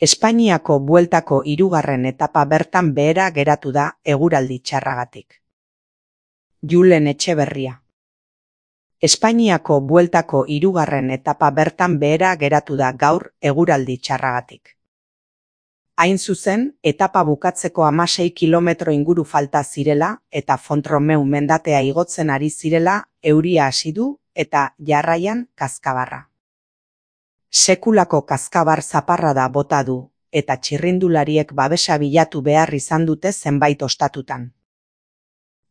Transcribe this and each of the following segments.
Espainiako bueltako 3. etapa bertan behera geratu da eguraldi txarragatik. Julen Etxeberria. Espainiako bueltako 3. etapa bertan behera geratu da gaur eguraldi txarragatik. Hain zuzen, etapa bukatzeko 16 kilometro inguru falta zirela eta Font-Romeu mendatea igotzen ari zirela euria hasi du eta jarraian kazkabarra. Sekulako kazkabar zaparrada bota du eta txirrindulariek babesa bilatu behar izan dute zenbait ostatutan.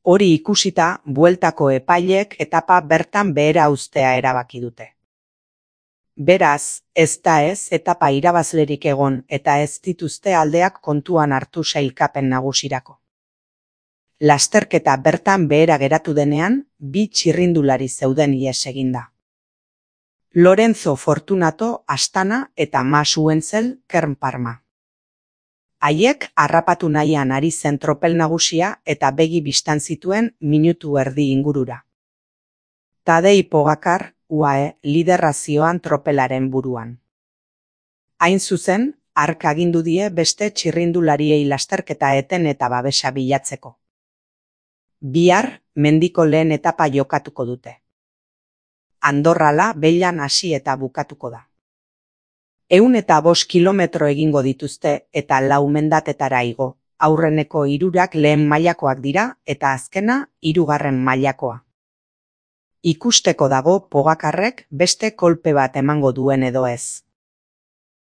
Hori ikusita, bueltako epaileek etapa bertan behera uztea erabaki dute. Beraz, ez da etapa irabazlerik egon eta ez dituzte aldeak kontuan hartu sailkapen nagusirako. Lasterketa bertan behera geratu denean, 2 txirrindulari zeuden ihes eginda. Lorenzo Fortunato Astana eta Mas Uentzel Kern Parma. Haiek harrapatu nahian ari zen tropel nagusia eta begi bistan zituen minutu erdi ingurura. Tadej Pogačar, UAE, liderrazioan tropelaren buruan. Hain zuzen, hark agindu die beste txirrindulariei lasterketa eten eta babesa bilatzeko. Bihar, mendiko lehen etapa jokatuko dute. Andorrala Bellan hasi eta bukatuko da. 105 kilometro egingo dituzte eta 4 mendatetara igo. Aurreneko 3 lehen mailakoak dira eta azkena 3. mailakoa. Ikusteko dago Pogačarrek beste kolpe bat emango duen edo ez.